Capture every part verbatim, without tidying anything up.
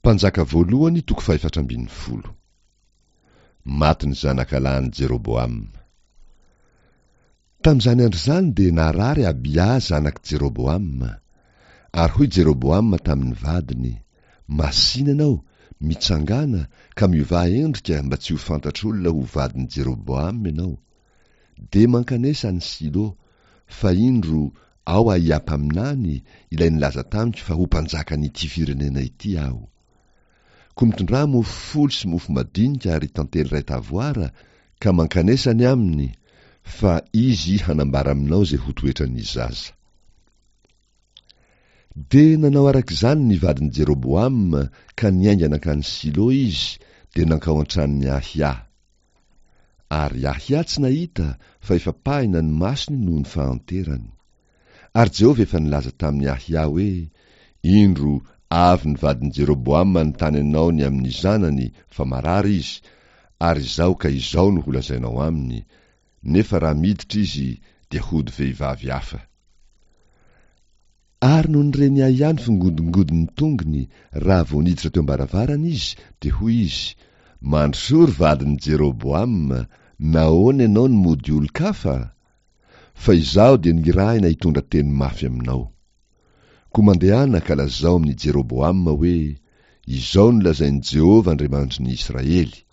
Mpanjaka voalohany toko fahefatra ambin'ny folo. Maty ny zanakalahin'i Jeroboama. Tamin'izany andro izany dia narary Abia zanak'i Jeroboama. Ary hoy Jeroboama tamin'ny vadiny, Masìna ianao, mitsangàna, ka miovà endrika mba tsy ho fantatr'olona ho vadin'i Jeroboama ianao. Dia mankanesa any Silo, fa indro, ao Ahia mpaminany, ilay nilaza tamiko fa ho mpanjakan'ity firenena ity aho. Koa mitondrà mofo folo sy mofo madinika ary tantely iray tavoara, ka mankanesa any aminy, fa izy hanambara aminao izay ho toetran'ny zaza. Dia nanao araka izany ny vadin'i Jeroboama ka niainga nankany Silo izy, dia nankao an-tranon'i Ahia. Ary Ahia tsy nahita, fa efa pahina ny masony noho ny fahanterany. Ary Jehovah efa nilaza tamin'i Ahia hoe, Indro, avy ny vadin'i Jeroboama nitany anao ny amin'ny zanany, fa marary izy, ary izao ka izao no holazainao aminy, nefa raha miditra izy, dia hody vehivavy hafa. Ary nony ren'i Ahia ny fingodingodin'ny tongony, raha vao niditra teo am-baravarana izy, dia hoy izy, Mandrosoa ry vadin'i Jeroboama, nahoana ianao no mody olon-kafa? Fa izaho dia nirahina hitondra teny mafy aminao. Koa mandehana ka lazao amin'i Jeroboama hoe, Izao no lazain'i Jehovah Andriamanitry ny Israely,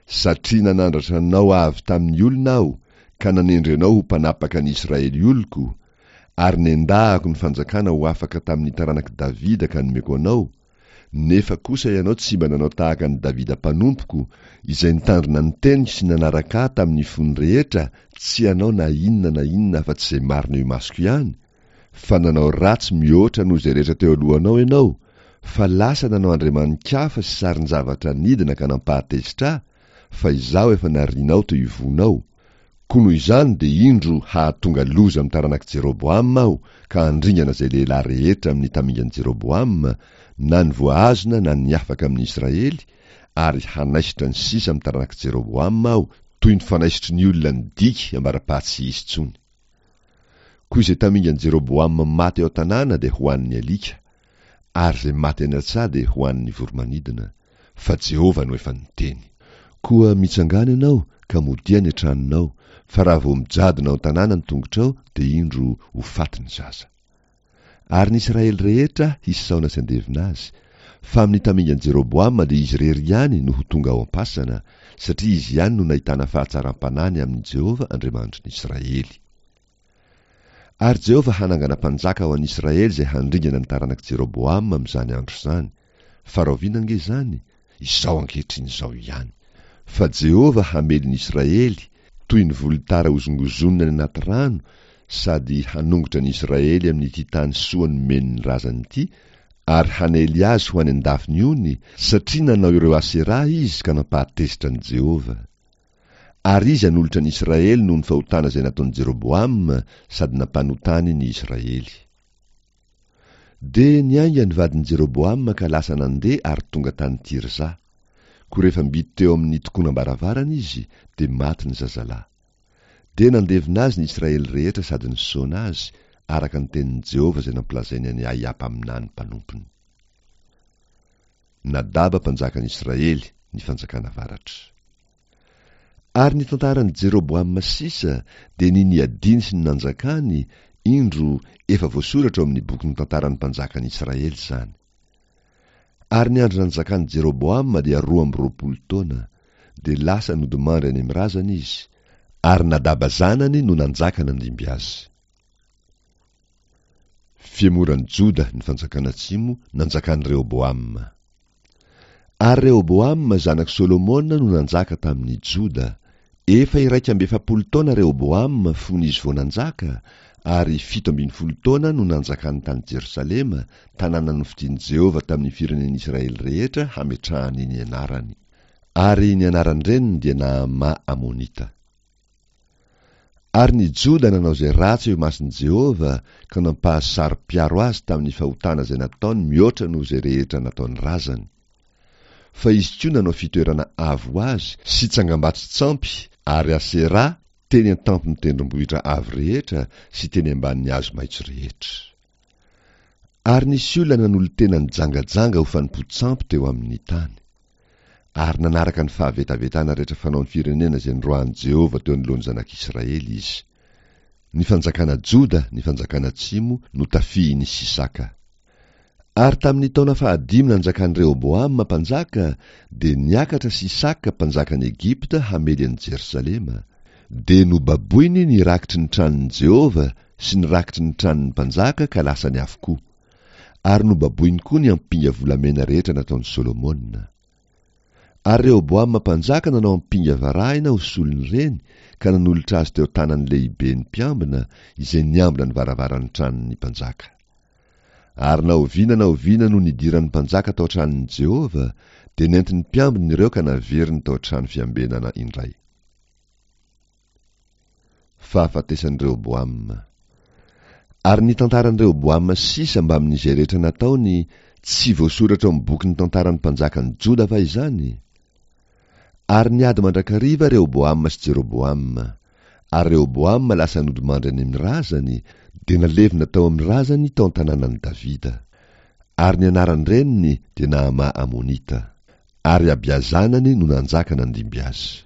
Satria nanandratra anao avy tamin'ny olona Aho ka nanendry anao ho mpanapaka ny Israely oloko, ary nendahako ny fanjakana ho afaka tamin'ny taranak'i Davida ka nomeko anao, nefa kosa ianao tsy mba nanao tahaka an'i Davida mpanompoko, izay nitandrina ny teniko sy nanaraka Ahy tamin'ny fony rehetra, tsy hanao na inona na inona afa-tsy izay marina eo imasoko ihany, fa nanao ratsy mihoatra noho izay rehetra teo alohanao ianao, fa lasa nanao andriamani-kafa sy sarin-javatra nidina ka nampahatezitra Ahy, fa Izaho efa narianao teo ivohonao. Koa noho izany dia indro hahatonga loza amin'ny taranak'i Jeroboama Aho ka handringana izay lehilahy rehetra amin'ny tamingan'i Jeroboama, na ny voahazona na ny afaka amin'ny Israely, ary hanaisotra ny sisa amin'ny taranak'i Jeroboama Aho toy ny fanaisotry ny olona ny diky ambara-paha tsy hisy intsony. Koa izay tamingan'i Jeroboama maty ao an-tanàna dia hohanin'ny alika, ary izay maty any an-tsaha dia hohanin'ny voro-manidina, fa Jehovah no efa niteny. Koa mitsangàna ianao ka modia any an-tranonao, fa raha vao mijadona ao an-tanàna ny tongotrao, dia indro, ho faty ny zaza. Ary ny Israely rehetra hisaona sy handevina azy, fa amin'ny tamingan'i Jeroboama dia izy irery ihany no ho tonga ao am-pasana, satria izy ihany no nahitana fahatsaram-panahy ny amin'i Jehovah Andriamanitry ny Israely. Ary Jehovah hanangana mpanjaka ho an'i Israely izay handringana ny taranak'i Jeroboama amin'izany andro izany. Fa rahoviana ange izany? Izao ankehitriny izao ihany. Fa Jehovah hamely ny Israely, toy ny volotara hozongozonina any anaty rano, sady hanongotra ny Israely amin'ity tany soa nomeny ny razany ity, ary hanely azy ho any an-dafin'ny ony, satria nanao ireo Aseraha izy ka nampahatezitra an'i Jehovah. Ary izy hanolotra ny Israely noho ny fahotana izay nataon'i Jeroboama sady nampanotany ny Israely. Dia niainga ny vadin'i Jeroboama ka lasa nandeha ary tonga tany Tirza. Koa rehefa mby teo amin'ny tokonam-baravarana izy, dia maty ny zazalahy. Dia nandevina azy ny Israely rehetra sady nisaona azy, araka ny tenin'i Jehovah izay nampilazainy an'i Ahia mpaminany mpanompony. Nadaba mpanjakan'i Israely, ny fanjakana avaratra. Ary ny tantaran'i Jeroboama sisa, dia ny niadiany sy ny nanjakany, indro, efa voasoratra ao amin'ny bokin'ny tantaran'ny mpanjakan'i Israely izany. Ary ny andro nanjakan'i Jeroboama dia roa amby roapolo taona, dia lasa nodimandry any amin'ny razany izy, ary Nadaba zanany no nanjaka nandimby azy. Fihemoran'i Joda ny fanjakana atsimo nanjakan'i Rehoboama. Ary Rehoboama zanak'i Solomona no nanjaka tamin'i Joda. Efa iraika amby efapolo taona Rehoboama fony izy vao nanjaka, ary fito ambin'ny folo taona no nanjakany tany Jerosalema, tanàna nofidin'i Jehovah tamin'ny firenen'Israely rehetra hametrahany ny anarany. Ary ny anaran-dreniny dia Naama Amonita. Ary ny Joda nanao izay ratsy eo imason'i Jehovah ka nampahasaro-piaro azy tamin'ny fahotana izay nataony mihoatra noho izay rehetra nataon'ny razany. Fa izy koa nanao fitoerana avo ho azy sy tsangambato-tsampy ary Aseraha teny an-tampon'ny tendrombohitra avo rehetra sy teny ambanin'ny hazo maitso rehetra. Ary nisy olona nanolo-tena nijangajanga ho fanompoan-tsampy teo amin'ny tany. Ary nanaraka ny fahavetavetana rehetra fanaon'ny firenena izay noroahin'i Jehovah teo anoloan'ny zanak'Israely izy. Ny fanjakana Joda, ny fanjakana atsimo, notafihin'i Sisaka. Ary tamin'ny taona fahadimy nanjakan'i Rehoboama mpanjaka, dia niakatra Sisaka mpanjakan'i Egypta hamely an'i Jerosalema. Dia nobaboiny ny rakitry ny tranon'i Jehovah sy ny rakitry ny tranon'ny mpanjaka ka lasany avokoa. Ary nobaboiny koa ny ampinga volamena rehetra nataon'i Solomona. Ary Rehoboama mpanjaka nanao ampinga varahina ho solon'ireny ka nanolotra azy teo an-tanan'ny lehiben'ny mpiambina izay niambina ny varavaran'ny tranon'ny mpanjaka. Ary na oviana na oviana no nidiran'ny mpanjaka tao an-tranon'i Jehovah, dia nentin'ny mpiambina ireo ka naveriny tao an-trano fiambenana indray. Fahafatesan'i Rehoboama. Ary ny tantaran'i Rehoboama sisa mbamin'izay rehetra nataony, tsy voasoratra ao amin'ny bokin'ny tantaran'ny mpanjakan'i Joda va izany? Ary niady mandrakariva Rehoboama sy Jeroboama. Ary Rehoboama lasa nodimandry any amin'ny razany, dia nalevina tao amin'ny razany tao an-tanànan'i Davida. Ary ny anaran-dreniny dia Naama Amonita. Ary Abia zanany no nanjaka nandimby azy.